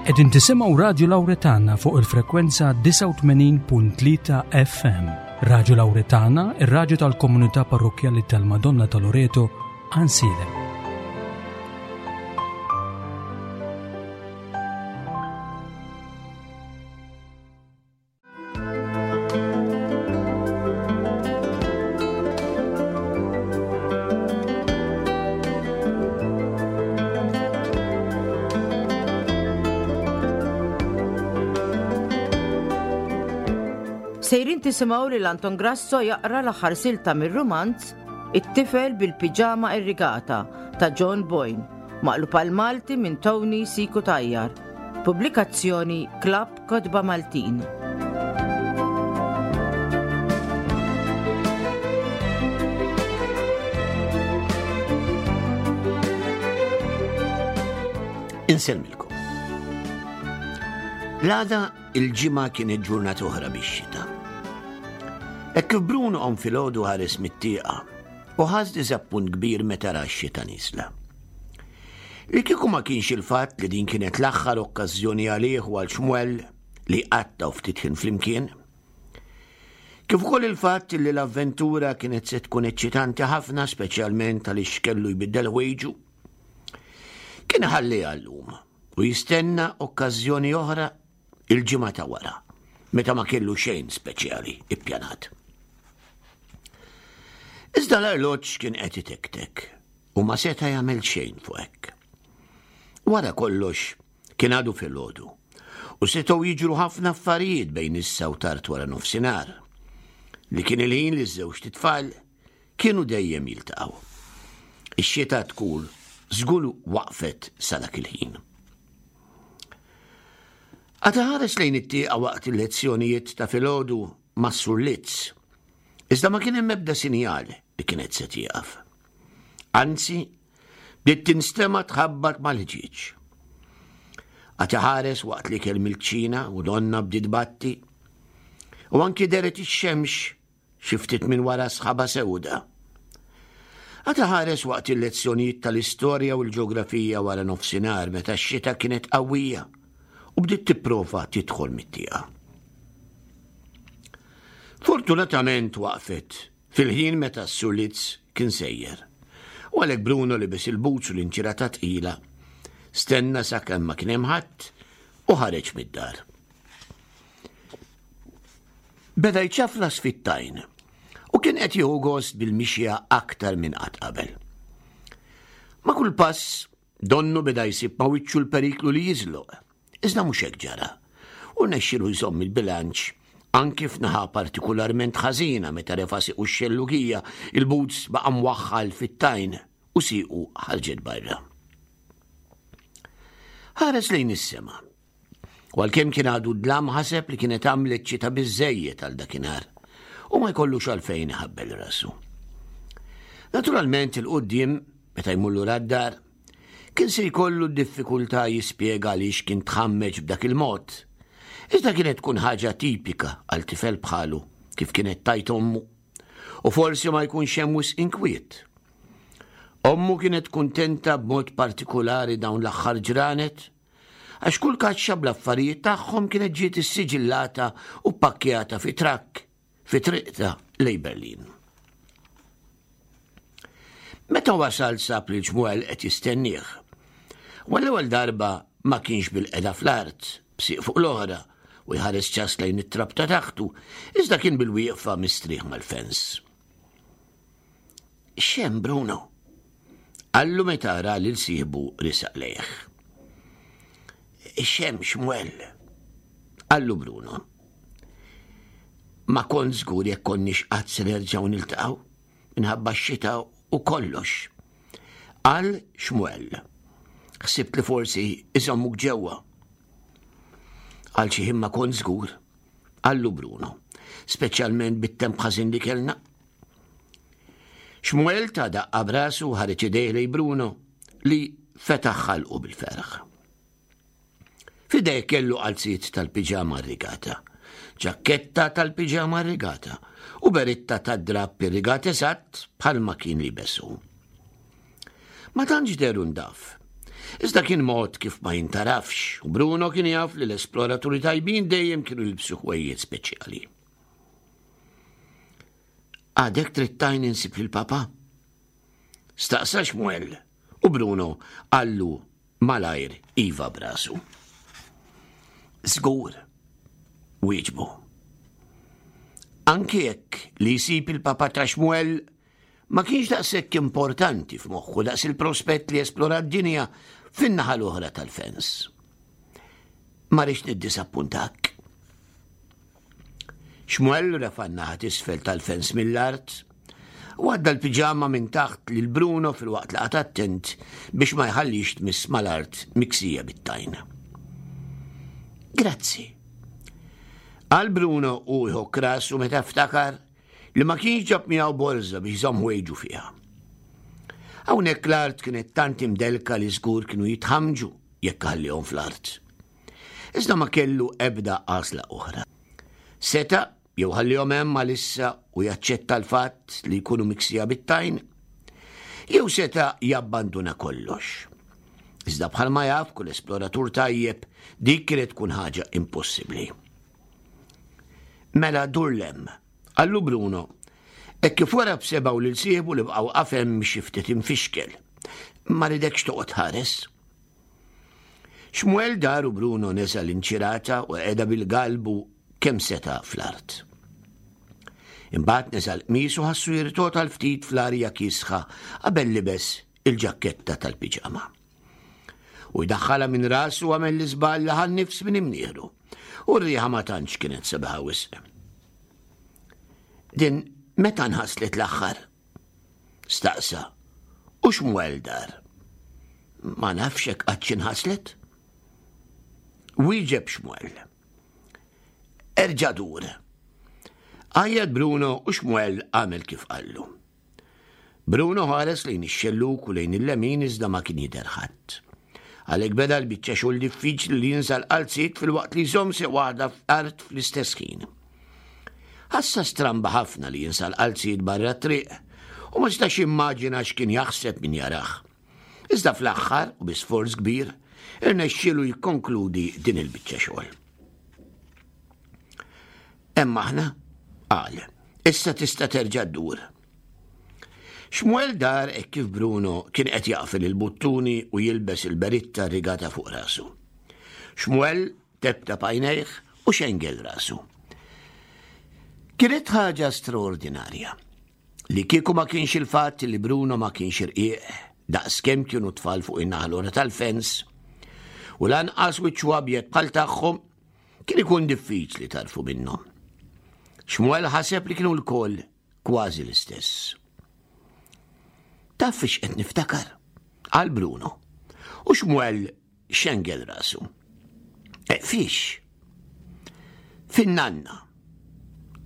Qegħdin tisimgħu Radju Lawretana fuq il-frekwenza 89.3 FM. Radju Lawretana, ir-radju tal-komunità parrokkjali tal-Madonna ta' Loreto, Ansilem. Sejrin tisimgħu lil Anton Grasso jaqra l-aħħar silta mir-rumanz It-tifel bil-piġama irrigata ta' John Boyne, maqlub għal Malti minn Tony Siku Tajjar. Pubblikazzjoni Club Kotba Maltin. Insellmilkom. L-għada il-ġimgħa kienet ġurnata oħra bix-xita. Hekk kif Bruno qom filgħodu ħares mit-tieqa u ħass diżappunt kbir meta ra x-xita niżla. Li kieku ma kienx il-fatt li din kienet l-aħħar okkażjoni għalih u għal Xmuel li jqattgħu ftit ħin flimkien, kif ukoll il-fatt li l-avventura kienet se tkun eċċitanti ħafna speċjalment għaliex kellu jbiddel ħwejġu, kien iħalliha llum u jistenna okkażjoni oħra il-ġimgħa ta' wara, meta ma kellu xejn speċjali ippjanat. Iżda l-arloġġ kien qed itektek u ma seta' jagħmel xejn fuq hekk. Wara kollox kien għadu filgħodu u setgħu jiġru ħafna affarijiet bejn issa u tard wara nofsinhar li kien il-ħin li ż-żewġt itfal kienu dejjem jiltaqgħu. Ix-xita tkun żgur waqfet sa dak il-ħin. Għad ħares lejn it-tieqa waqt il-lezzjonijiet ta' filgħodu mas-Sur Litz, iżda ma kien hemm ebda sinjal li kienet se tieqaf. Anzi, bdiet tinstema' tħabbat mal-ħġieġ. Għad iħares waqt li kell mill-kċina u donna bdiet batti, u anki deret ix-xemx xi ftit minn wara sħaba sewda. Għad iħares waqt il-lezzjonijiet tal-istorja u l-ġeografija wara nofsinhar meta x-xita kienet qawwija u bdiet tipprova tidħol mit-tieqa. Fortunatament waqfet fil-ħin meta s-Sur Litz kien sejjer. U għalhekk Bruno libes il-boots u l-inċirata tqila, stenna sakemm ma kien hemm ħadd u ħareġ mid-dar. Beda jċaflas fit-tajn u kien qed jieħu gost bil-mixja aktar minn qatt qabel. Ma' kull pass, donnu beda jsib ma' wiċċu l-periklu li jiżloq, iżda mhux hekk ġara, u rnexxielu jżomm il-bilanċ anki f'naħa partikularment ħażina meta refa' siequ x-xellugija, il-boots baqa' mwaħħal fit-tajn u siequ ħarġet barra. Ħares lejn is-sema. U għalkemm kien għadu dlam ħaseb li kienet għamlet xita biżżejjed għal dakinhar u ma jkollux għalfejn iħabbel rasu. Naturalment il-quddiem, meta jmur lura d-dar, kien se jkollu diffikultà jispjega għaliex kien tħammeġ b'dak il-mod. Iżda kienet tkun ħaġa tipika għal tifel bħalu kif kienet tajt ommu. U forsi ma jkunx hemm wisq inkwiet. Ommu kienet kuntenta b'mod partikulari dawn l-aħħar ġranet Għax kull kaxxa bl-affarijiet tagħhom kienet ġiet issiġillata u ppakkjata fi trakk fi triqta lejn Berlin. Meta wasal sab li Ġmuel qed jistennieh. U għall-ewwel darba ma kienx bil-qeda fl-art, b'sieq fuq l-oħra, u jħares ċas lejn it-trab ta' taħtu, iżda kien bil-wieqfa mistrieħ mal-fens. X'hemm Bruno? Qallu meta ra lil sieħbu risaq lejh. X'hemm Xmuel? Qallu Bruno. Ma kont żgur jekk konniex qatt se nerġgħu niltaqgħu minħabba x-xita u kollox. Qal Xmuel. Ħsibt li forsi iżommuk ġewwa. Għal xi ħin ma kont żgur, qallu Bruno, speċjalment bit-temp ħażin li kellna. Xmuel ta daqqa b'rasu u ħareġ idejh lejn Bruno li fetaħ ħalqu bil-ferħ. F'idejh kellu qalziet tal-piġama rrigata, ġakketta tal-piġama rrigata u beritta tad-drapp irrigat eżatt bħalma kien libes hu. Ma tantx dehru ndaf. Iżda kien mod kif ma jintarafx u Bruno kien jaf li l-esploraturi tajbin dejjem kienu jilbsu ħwejjed speċjali. Għadek trid tajn insib lil papa? Staqsa Xmuel u Bruno qallu malajr iva brasu. Żgur, wieġbu. Anki jekk li jsib il-papa ta' Xmuel ma kienx daqshekk importanti f'moħħu daqs il-prospett li jesplora d-dinja fin-naħa l-oħra tal-fens. Ma rridx niddisappuntak. Xmuel refa' n-naħa t'isfel tal-fens mill-art u għadda l-piġama minn taħt lil Bruno filwaqt li qagħad attent biex ma jħallix tmiss mal-art miksija bit-tajn. Grazzi. Qal Bruno u jħokk rasu meta ftakar li ma kienx ġab miegħu borża biex jżomm ħwejġu fiha. Hawnhekk l-art kienet tant imdelka li żgur kienu jitħamġu jekk ħallihom fl-art. Iżda ma kellu ebda għażla oħra. Seta' jew ħallihom hemm għalissa u jaċċetta l-fatt li jkunu miksija bit-tajn, jew seta' jabbanduna kollox. Iżda bħalma jaf kull esploratur tajjeb, dik kienet tkun ħaġa impossibbli. Mela dur 'l hemm, qallu Bruno, hekk kif wara b'sebgħu lil sieħbu li baqa' waqaf hemm xi ftit imfixkel. Ma ridekx toqgħod ħares. Xmuel dar u Bruno neża' l-inċirata u qegħda bil-galbu kemm seta' fl-art. Imbagħad neża' l-qmis u ħassu jirtogħod għal ftit fl-arja kiesħa qabel libes il-ġakketta tal-piġama. U jdaħħalha minn rasu għamel l-iżball li ħa n-nifs minn imnieħru. U r-riħa ma tantx kienet sabiħa wisq. Din meta nħaslet l-aħħar? Staqsa. U x'mwel dar? Ma nafx hekk qatt inħaslet? Wieġeb Xmuel. Erġa' dur. Għajjat Bruno u Xmuel għamel kif qallu. Bruno ħares lejn ix-xellug u lejn il-lemin iżda ma kien jidher ħadd. Għalhekk beda l-biċċa xogħol diffiċli li jinża' l-qalziet filwaqt li jżomm sieq waħda f'art fl-istess ħin. Ħassa stramba ħafna li jinsa l-qalziet barra t-triq u ma setax jimmaġina x'kien jaħseb min jarah. Iżda fl-aħħar, u bi sforz kbir, irnexxielu jikkonkludi din il-biċċa xogħol. Hemm aħna, qal, issa tista' terġa' ddur. Xmuel dar hekk kif Bruno kien qed jaqfel il-buttuni u jilbes il-beritta rigata fuq rasu. Xmuel teptap għajnejh u xengel rasu. Kienet ħaġa straordinarja. Li kieku ma kienx il-fatt li Bruno ma kienx irqiq daqs kemm kienu tfal fuq in-naħa l tal-fens u lanqas wiċċu abjad bħal tagħhom Kien ikun diffiċli tarfu minnhom. Xmuel ħaseb li kienu lkoll kważi l-istess. Taf fiex qed niftakar? Qal Bruno. U Xmuel xengel rasu. E, fiex? Fin-nanna.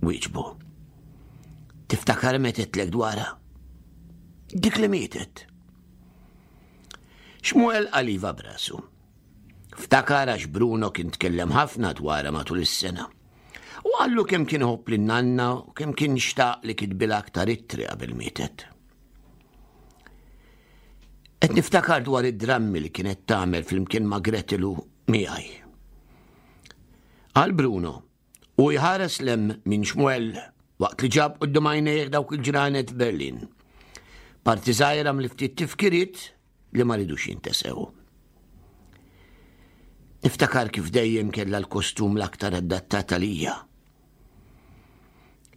Wieġbu. Tiftakar metetlek dwarha? Dik li mietet. Xmuel qal iva brasu. Ftakar għax Bruno kien tkellem ħafna dwarha matul is-sena. U qallu kemm kien iħobb lin-nanna u kemm kien xtaq li kitbilha aktar ittri qabel mietet. Qed niftakar dwar id-drammi li kienet tagħmel flimkien ma' Gretel u miegħi. Qal Bruno, u jħares 'l hemm minn Xmuel waqt li ġab quddiem għajnejh dawk il-ġranet f'Berlin. Parti żgħira mill-ftit tifkiriet li ma ridux jintesew. Niftakar kif dejjem kellha l-kostum l-aktar adattat għalija.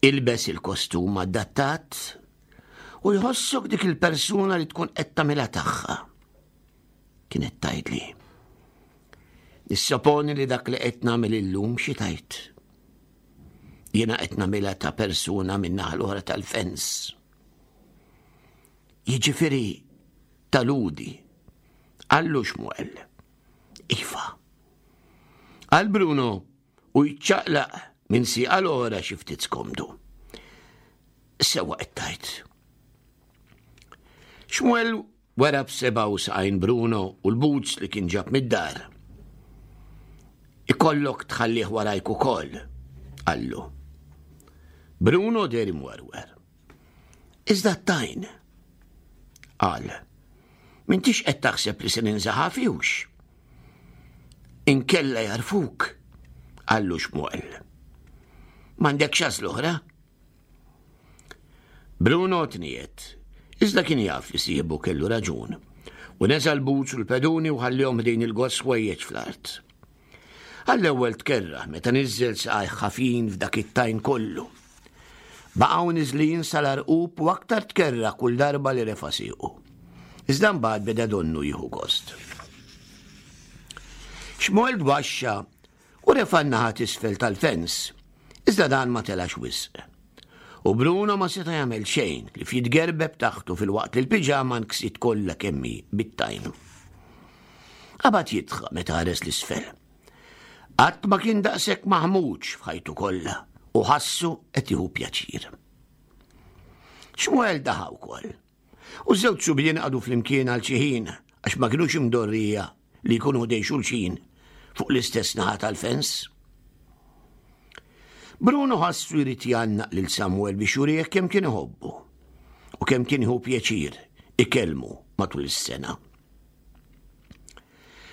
Ilbes il-kostum adattat u jħossok dik il-persuna li tkun qed tagħmilha tagħha. Kienet tgħidli. Nissoponi li dak li qed nagħmel illum xi tajt. Jiena qed nagħmilha ta' persuna minn naħa l-oħra tal-fens. Jiġifieri ta' Ludi. Qallu Xmuel. Iva. Qal Bruno u jċaqlaq minn sieqa l-oħra xi ftit skomdu. Sewa qed tgħid. Xmuel wera b'seba' u saqajn Bruno u l-boots li kien ġab mid-dar. Ikollok tħallih warajk ukoll, qallu. Bruno deher imwerwer. Iżda t-tajn, qal. M'intix qed taħseb li se ninża' ħafi hux? Inkella jarfuk, qallu Xmuel. M'għandekx għażla oħra? Bruno tniet, iżda kien jaf li sieħbu kellu raġun, u neża' l-boots u l-peduni u ħallihom ħdejn il-goss ħwejjeġ fl-art. Għall-ewwel tkerrah meta niżżel saqajh ħafin f'dak it-tajn kollu. Baqgħu niżlin sal-għarqub u aktar tkerrah kull darba li refa' siequ. Iżda mbagħad beda donnu jieħu gost. Xmuel tbaxxa u refa' n-naħa t'isfel tal-fens, iżda dan ma telax wisq. U Bruno ma seta' jagħmel xejn ħlief jitgerbeb taħtu filwaqt li l-piġama nksiet kollha kemm hi bit-tajn. Qabad jidħaq meta ħares l-isfel. Qatt ma kien daqshekk maħmuġ f'ħajtu kollha u ħassu qed jieħu pjaċir. Xmuel daħa wkoll. U ż-żewġ subien qagħdu flimkien għal xi ħin għax ma kinux imdorrija li jkunu ħdejn xulxin fuq l-istess naħa tal-fens. Bruno ħassu jrid jgħannaq lil Samuel biex jurih kemm kien iħobbu u kemm kien jieħu pjaċir ikellmu matul is-sena.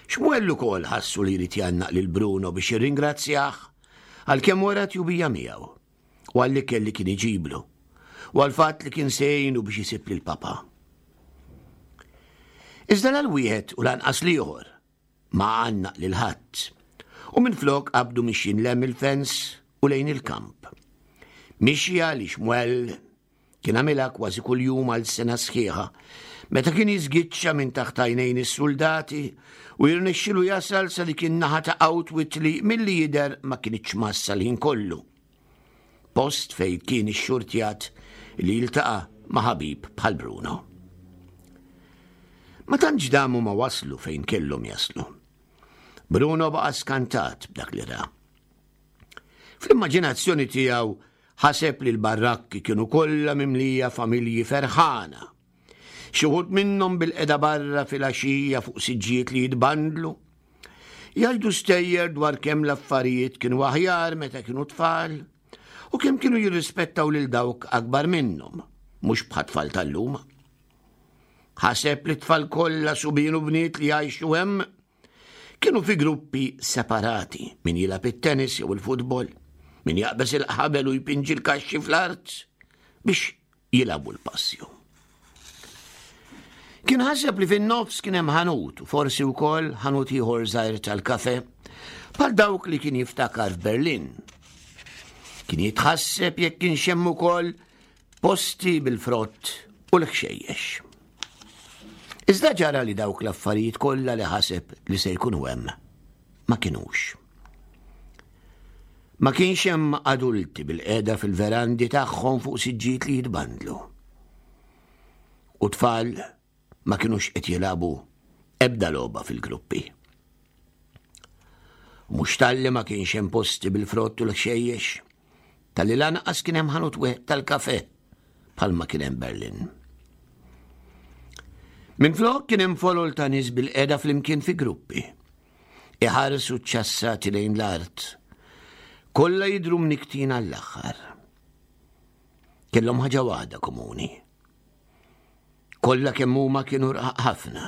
Xmuel ukoll ħassu li jrid jgħannaq lil Bruno biex jirringrazzjah għal kemm wera tjubija miegħu u għall-ikel li kien iġiblu u għall-fatt li kien se jgħinu biex isib lil papa. Iżda la l-wieħed u lanqas l-ieħor ma għannaq lil ħadd u minflok qabdu mixjin lem il-fens u lejn il-kamp. Mixja li Xmuel Kien għamilha kważi kuljum għal sena sħiħa, meta kien jiżgiċċa minn taħt għajnejn is-suldati u jirnexxilu jasal sa dik in-naħa ta' Outwit li milli jidher ma kinitx massa l-ħin kollu. Post fejn kien ixxurtjat li jiltaqa' ma' ħabib bħal Bruno. Ma tantx damu ma waslu fejn kellhom jaslu. Bruno baqa' skantat b'dak li ra. Fl-immaġinazzjoni tiegħu ħaseb li l-barrakki kienu kollha mimlija familji ferħana. Xi wħud minnhom bilqiegħda barra filgħaxija fuq siġġijiet li jitbandlu. Jgħidu stejjer dwar kemm l-affarijiet kienu aħjar meta kienu tfal u kemm kienu jirrispettaw lil dawk akbar minnhom, mhux bħat-tfal tal-lum. Ħaseb li t-tfal kollha subien u bniet li jgħixu hemm Kienu fi gruppi separati, min jilgħab it-tennis jew il-futbol, min jaqbeż il-ħabel u jpinġi l-kaxxi fl-art biex jilagħbu l-passju. Kien ħaseb li fin-nofs kien hemm ħanut u forsi wkoll ħanut ieħor żgħir tal-kafe bħal dawk li kien jiftakar f'Berlin. Kien jitħasseb jekk kienx hemm ukoll posti bil-frott u l-ħxejjex. Iżda ġara li dawk l-affarijiet kollha li ħaseb li se jkunu hemm ma kinux. Ma kienx hemm adulti bil-qeda fil-verandi tagħhom fuq siġġiet li jitbandlu. U tfal ma kinux qed jilagħbu ebda logħba fil-gruppi. Mhux talli ma kienx hemm posti bil-frott u l-ħxejjex, talli lanqas kien hemm ħanut wieħed tal-kafe bħalma kien hemm Berlin. Minflok kien hemm folol ta' nies bil-qeda flimkien fi gruppi. Iħarsu ċċassati lejn l-art. Kollha jidhru mniktin għall-aħħar. Kellhom ħaġa waħda komuni. Kollha kemm huma kienu rqaq ħafna.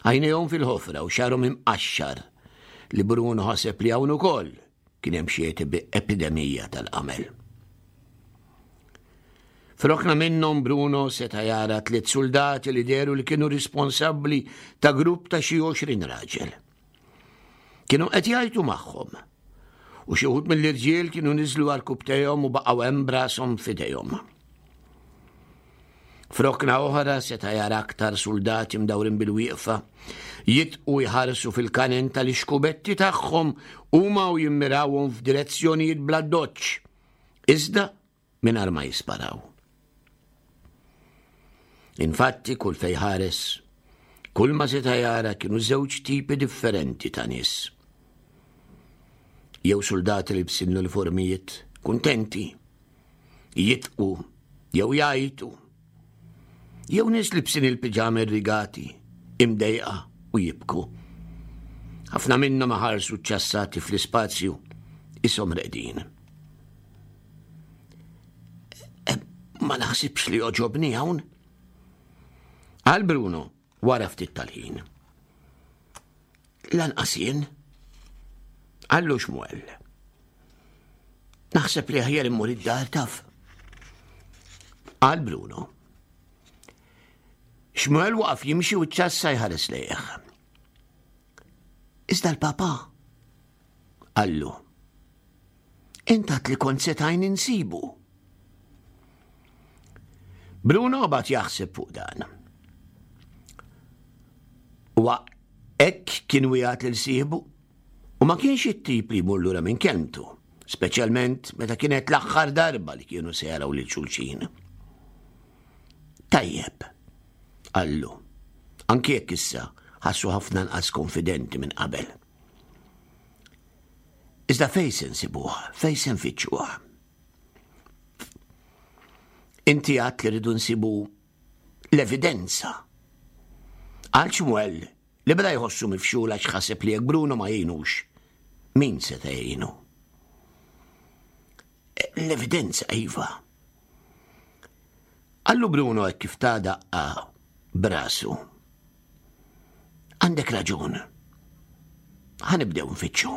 Għajnejhom fil-ħofra u xagħarhom imqaxxar li Bruno ħaseb li hawn ukoll kien hemm xi epidemija tal-qamel. F'rokna minnhom Bruno seta' jara tliet suldati li dehru li kienu responsabbli ta' grupp ta' xi 20 raġel. Kienu qed jgħajtu magħhom u xi wħud mill-irġiel kienu niżlu għarkupptejhom u baqgħu hemm b'rashom f'idejhom. F'rokna oħra seta' jara aktar suldati mdawrin bil-wieqfa, jitqu jħarsu fil-kanen tal-ixkubetti tagħhom huma u jimmirawhom f'direzzjonijiet bla doċċ, iżda mingħajr ma jisparaw. Infatti kull fej ħares, kull ma seta' jara kienu żewġ tipi differenti ta' nies. Jew suldati li bsin l-uniformijiet kuntenti, jitqu jew jgħajtu. Jew nies libsin il-piġami rrigati, imdejqa u jibku. Ħafna minnhom iħarsu ċċassati fl-ispazju ishom reqdin. Eh, ma naħsibx li joġobni hawn. Għal Bruno. wara ftit tal-ħin. Lanqas jien. Qallu Xmuel. Naħseb li aħjar immur id-dar taf. Qal Bruno. Xmuel waqaf jimxi u ċassa jħares lejh. Iżda l-papa, qallu, intat li kont setajn insibu. Bruno bat jaħseb fuq dan. Wa hekk kien wieħed lil sieħbu u ma kienx it-tip li jmur lura minn kelmtu, speċjalment meta kienet l-aħħar darba li kienu se jaraw lil xulxin. Tajjeb, qallu, anki jekk issa ħassu ħafna nqas konfidenti minn qabel. Iżda fejn se nsibuh, fejn se nfittxuh? Inti għat li rridu nsibu l-evidenza. Għal Xmuel li beda jħossu mifxul għax ħaseb li jekk Bruno ma jgħinux, min se jgħinu? L-evidenza, iva. Qallu Bruno hekk kif ta daqqa b'rasu. Għandek raġun. Ħa nibdew nfittxu.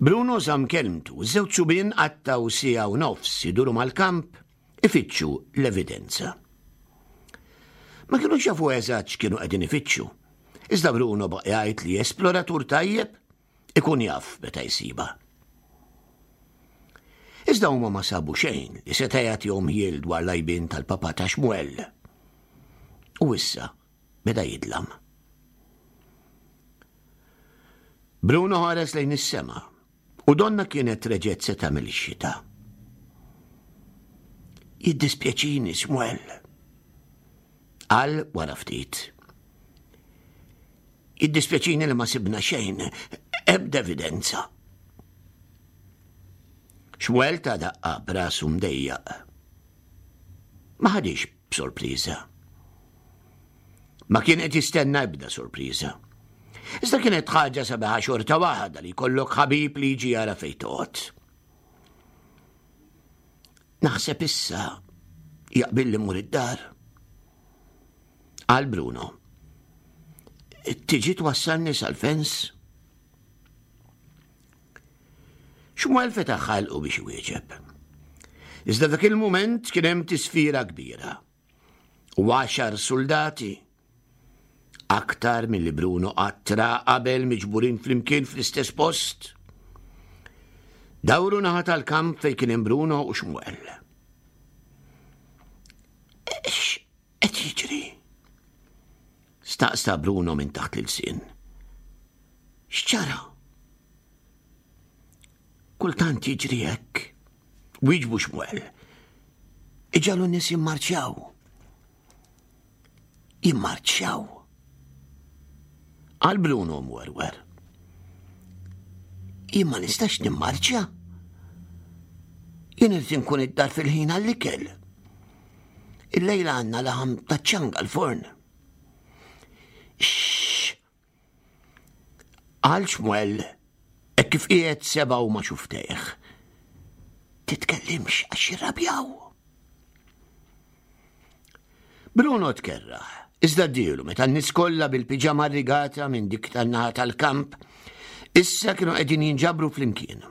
Bruno żamm kelmtu, żewġ subien qattgħu siegħa u nofs iduru mal-kamp ifittxu l-evidenza. Ma kinux jafu eżatt x'kienu qegħdin ifittxu. Iżda Bruno baqa' jgħid li esploratur tajjeb Ikun jaf meta jsibha. Iżda huma ma sabu xejn li seta' jagħtihom ħjiel dwar l-għajbien tal-papà ta' Xmuel. U issa beda jidlam. Bruno ħares lejn is-sema u donna kienet reġgħet se tagħmel ix-xita. Jiddispjaċini, Xmuel. Qal wara ftit. Jiddispjaċini li ma sibna xejn, ebda evidenza. Xmuel ta' daqqa b'rasu mdejjaq. Ma ħadix b'sorpriża. Ma kien qed jistenna ebda sorpriża. Iżda kienet ħaġa sabiħa xorta waħda li jkollok ħabib li jiġi jara fejn toqgħod. Naħseb issa jaqbil li mur id-dar. Qal Bruno. Tiġi twassalni sal-fens? Xmuel fetaħ ħalqu biex iwieġeb. Iżda dak il-mument kien hemm tisfira kbira. U għaxar soldati aktar milli Bruno qatt ra qabel miġburin flimkien fl-istess post. Dawru naħa tal-kamp fejn kien hemm Bruno u Xmuel. Qed jiġri? Staqsa Bruno minn taħt l-ilsien. X'ġara? Kultant jiġri hekk. Wieġbu Xmuel. Iġalu nies jimmarċjaw. Jimmarċjaw. Għal Bruno mwerwer. Jien ma nistax nimmarċja. Jien irid inkun id-dar fil-ħin għall-ikel. Illejla għandna laħam taċ-ċanga l-forn. Xxx! Qal Xmuel hekk kif qiegħed sebgħu ma' xuftejh. Titkellimx għax jirrabjaw. Bruno tkerraħ, iżda dielu meta n-nies kollha bil-piġama rigata minn dik tan-naħa tal-kamp issa kienu qegħdin jinġabru flimkien.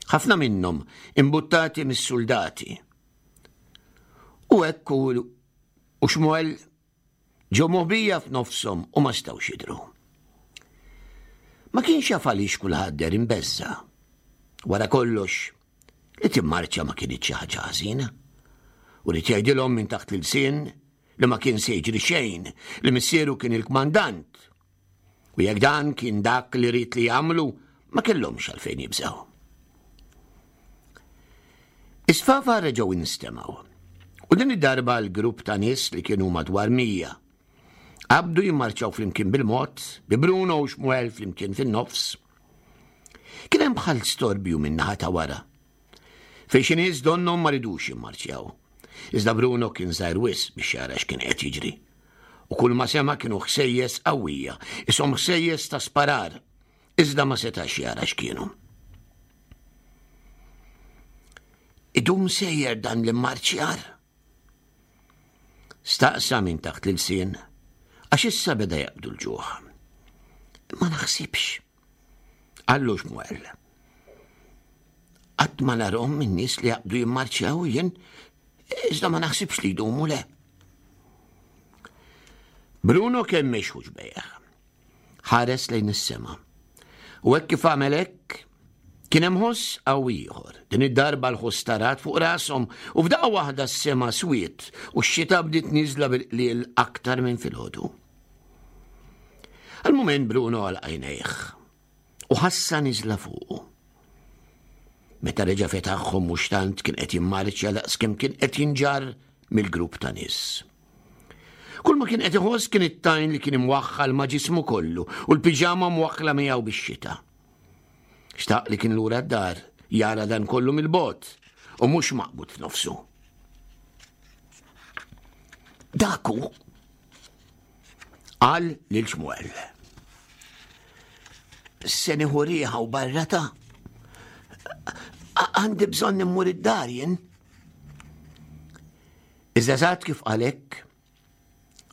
Ħafna minnhom imbuttati mis-suldati. U hekk u Xmuel ġew moħbija f'nofshom u ma stgħux jidhru. Ma kienx jaf għaliex kulħadd deher imbeżża'. Wara kollox, li timmarċa ma kinitx xi ħaġa ħażina. U ried jgħidilhom minn taħt l-ilsien li ma kien se jiġri xejn, li missieru kien il-kmandant U jekk dan kien dak li ried li jagħmlu, ma kellhomx għalfejn jibżgħu. Is-sfafa reġgħu instemgħu. U din id-darba l-grupp ta' nies li kienu madwar 100 qabdu jimmarċaw flimkien bil-mod, bi Bruno u Xmuel flimkien fin-nofs. Kien hemm bħal storbju min-naħa ta' wara. Fejn xi nies donnhom ma ridux jimmarċjaw. Iżda Bruno kien żgħir wisq biex jara x'kien qed jiġri. U kull ma sema' kienu ħsejjes qawwija, ishom ħsejjes ta' sparar, iżda ma setax jara x'kienu. Idum sejjer dan l-immarċjar? Staqsa minn taħt l-ilsien, għax issa beda jaqbdu l-ġuħ. Ma naħsibx. Qallu Xmuel. Qatt ma narhom in-nies li jaqbdu jimmarċjaw jien, iżda ma naħsibx li jdumu le. Bruno kemm mexħuġ bejħ. Ħares lejn is-sema. U hekk kif għamel hekk, kien hemm ħoss qawwi ieħor. Din id-darba l-ħoss tarat fuq rashom u f'daqqa waħda s-sema swiet u x-xita bdiet nieżla bil-qliel aktar minn filgħodu. Għal mument Bruno għal għajnejh u ħassa niżla fuqu. Meta reġa' fetaħhom mhux tant kien qed jimmarċja daqskemm kien qed jinġarr mill-grupp ta' nies. Kull ma kien qed iħoss kien it-tajn li kien imwaħħal ma' ġismu kollu u l-piġama mwaħħla miegħu bix-xita. Xtaq li kien lura d-dar jara dan kollu mill-bogħod u mhux maqbud f'nofsu. Daku qal lil Xmuel. Se nieħu riħa u barra ta' għandi bżonn immur id-dar jien. Iżda eżatt kif qal hekk,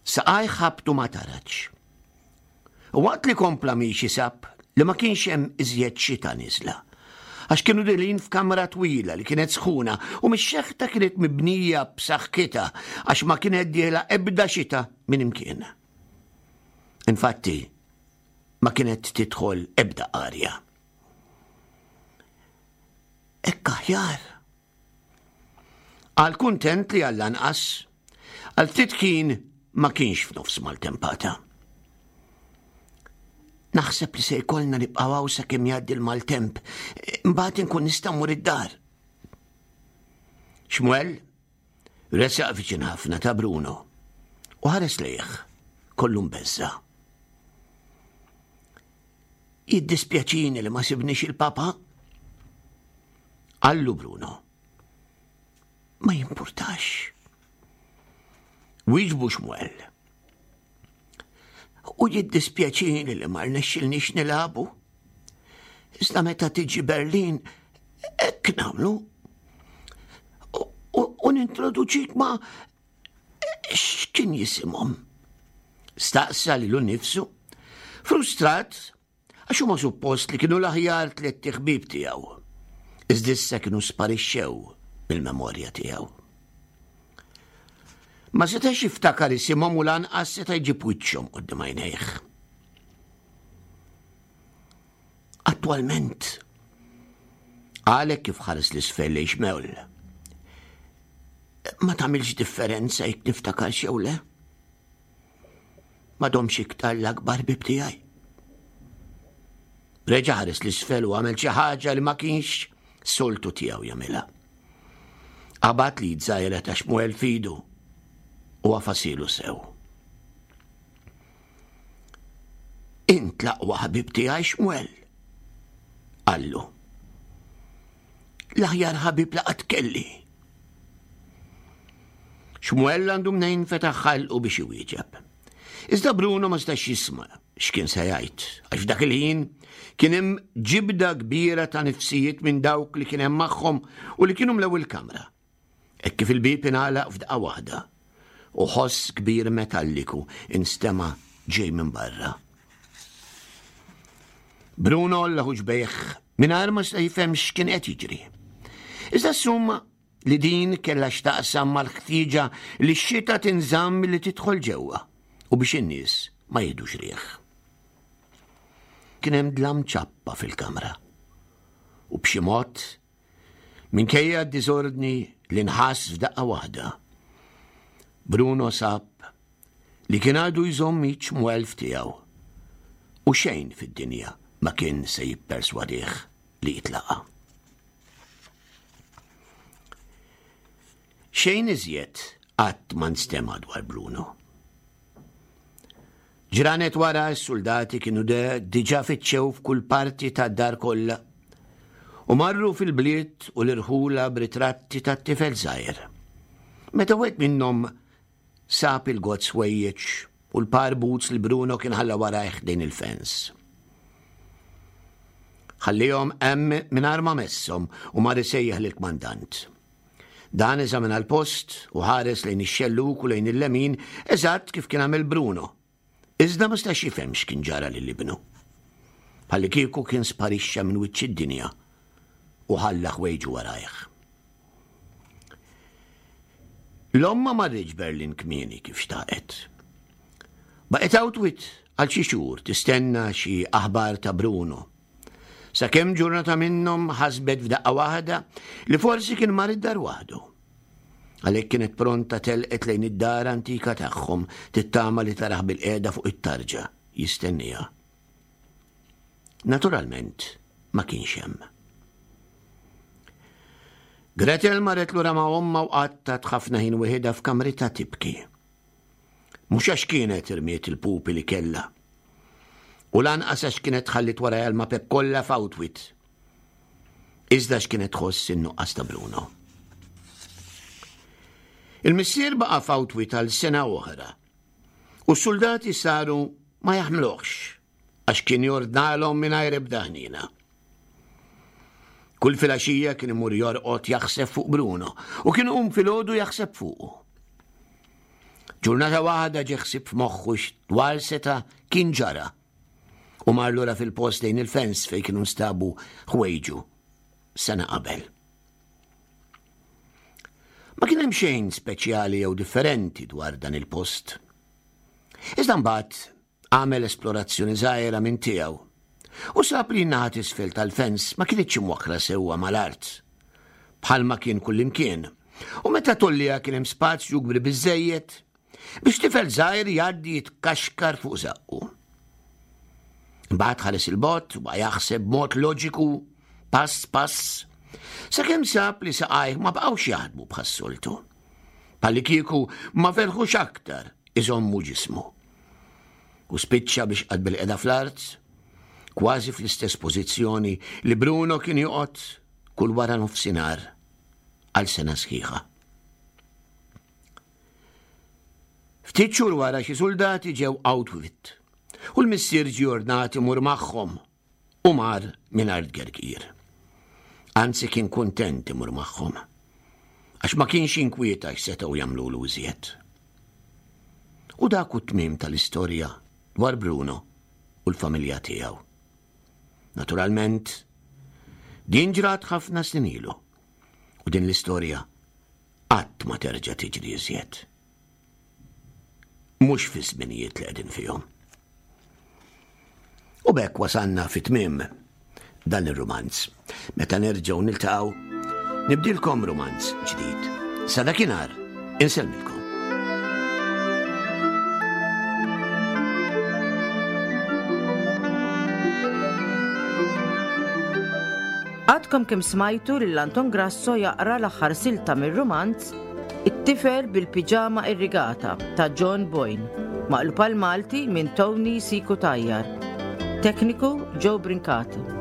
saqajh ħabtu ma' taraġ. U waqt li kompla miexi sab li ma kienx hemm iżjed xita niżla. Għax kienu dilin f'kamra twila li kienet sħuna u mix-xeħta kienet mibnija b'saħħitha għax ma kienet dieħla ebda xita minn imkien. Infatti, ma kienet tidħol ebda arja. Hekk aħjar. Qal kuntent li għall-anqas, għal ftit ħin ma kienx f'nofs maltempata. Naħseb li se jkollna nibqgħu hawn sakemm jgħaddi l-maltemp, imbagħad inkun nista' mmur id-dar. Xmuel resaq viċin ħafna ta' Bruno u ħares lejh kollu mbeżża'. Jiddispjaċini li ma sibniex il-papa. Qallu Bruno. Ma jimpurtax. Wieġbu Xmuel. U jiddispjaċini li ma rnexxilniex nilagħbu. Iżda meta tiġi Berlin, hekk nagħmlu. U nintroduċik ma' X'kien jisimhom? Staqsa lilu nnifsu, frustrat għax huma suppost li kienu l-aħjar tlett iħbieb tiegħu. Iżda issa kienu sparixxew mill-memorja tiegħu. Ma setax jiftakar isimhom u lanqas seta' jġib wiċċhom quddiem għajnejh. Attwalment, għalek kif ħares l-isfel lejn Xmewl. Ma tagħmilx differenza jekk niftakar xew le. Ma domx iktar l-akbar bib tiegħi. Reġa' ħares l-isfel u għamel xi ħaġa li ma kienx soltu tiegħu jagħmilha. Qabad li żgħira ta' Xmuel fidu u għafasilu sew. Int l-aqwa ħabib tiegħi Xmuel. Qallu. L-aħjar ħabib li qatt kelli. Xmuel għandu mnejn fetaħ ħalqu biex iwieġeb. Iżda Bruno ma stax jisma' x'kien se jgħid, għax f'dak il-ħin kien hemm ġibda kbira ta' nifsijiet minn dawk li kien hemm magħhom u li kienu mlew il-kamra. Hekk kif il-bieb ingħalaq f'daqqa waħda u ħoss kbir metalliku instema' ġej minn barra. Bruno għolla ħuġbejh mingħajr ma seta' jifhem x'kien qed jiġri. Iżda assuma li din kellha x'taqsam mal-ħtieġa li x-xita tinżamm milli tidħol ġewwa u biex in-nies ma jieħdux riħ. Kien hemm dlam ċappa fil-kamra u b'xi mod Minkejja d-diżordni li nħass f'daqqa waħda, Bruno sab li kien għadu jżomm id Xmuel f'tiegħu u xejn fid-dinja ma kien se jipperswadih li jitlaqha. Xejn iżjed qatt ma nstema' dwar Bruno. Ġranet wara s-suldati kienu diġà fittxew f'kull parti tad-dar kollha u marru fil-bliet u l-irħula b'ritratti tat-tifel żgħir. Meta wieħed minnhom sab il-gozz ħwejjeġ u l-par boots li Bruno kien ħalla warajh ħdejn il-fens. Ħallihom hemm mingħajr ma messhom u mar isejjaħ lill-kmandant. Dan eżamina l-post u ħares lejn ix-xellug u lejn il-lemin eżatt kif kien għamel Bruno. Iżda ma stax jifhem x'kien ġara lil ibnu. Bħallikieku kien sparixxa minn wiċċ id-dinja u ħalla ħwejġu warajh. L-omm ma marritx Berlin kmieni kif xtaqet. Baqgħet Auschwitz għal xi xhur tistenna xi aħbar ta' Bruno. Sakemm ġurnata minnhom ħasbet f'daqqa waħda li forsi kien mar id-dar waħdu. Għalhekk kienet pronta telqet lejn id-dar antika tagħhom tittama li taraħ bil-qiegħda fuq it-tarġa jistenniha. Naturalment, ma kienx hemm. Gretel marret lura ma' ommha u qattat ħafna ħin wieħedha f'kamritha tibki. Mhux għax kienet irmiet il-pupi li kellha. U lanqas għax kienet ħallit warajha l-mapep kollha f'Outwit. Iżda għax kienet tħoss in-nuqqas ta' Bruno. Il-missier baqa' f'Outwit għal sena oħra U s-suldati saru ma jaħmluhx għax kien jordnalhom mingħajr ebda ħniena. Kull filgħaxija kien imur jorqod jaħseb fuq Bruno u kien iqum filgħodu jaħseb fuqu. Ġurnata waħda ġie ħsieb f'moħħu dwar seta' kien ġara u mar lura fil-post lejn il-fens fejn kienu nstabu ħwejġu sena qabel. Ma kien hemm xejn speċjali jew differenti dwar dan il-post. Iżda mbagħad għamel esplorazzjoni żgħira minn tiegħu u sab li n-naħa t'isfel tal-fens ma kinitx imwakkra sewwa mal-art, bħalma kien kullimkien, u meta tolliha kien hemm spazju kbir biżżejjed Biex tifel żgħir jgħaddi jitkaxkar fuq żaqqu. Imbagħad ħares il-bot u jaħseb b'mod loġiku, pass pass, sakemm sab li saqajh ma baqgħux jaħdmu bħas-soltu. Palli kieku ma felħux aktar iżommu ġismu. U spiċċa biex qad bil-qeda fl-art, kważi fl-istess pożizzjoni li Bruno kien joqgħod kull wara nofsinhar għal sena sħiħa. Ftit xhur wara xi suldati ġew Auschwitz u l-missier ġie ordnat imur magħhom u mar mingħajr tgergir. Anzi kien kuntent imur magħhom għax ma kienx jinkwieta x'setgħu jagħmlulu iżjed. U dak hu t-tmiem tal-istorja dwar Bruno u l-familja tiegħu. Naturalment, din ġrat ħafna snin ilu u din l-istorja qatt ma terġa' tiġri iżjed. Mhux fiż-żminijiet li qegħdin fihom. U b'hekk wasalna fi tmiem dan ir-rumanz. Meta nerġgħu niltaqgħu, nibdilkom rumanz ġdid. Sa dakinhar, insellmilkom. Għadkom kemm smajtu lil Anton Grasso jaqra l-aħħar silta mir-rumanz It-tifel bil-piġama irrigata ta' John Boyne, maqlub għall-Malti minn Tony C. Cutajar. Tekniku Joe Brincat.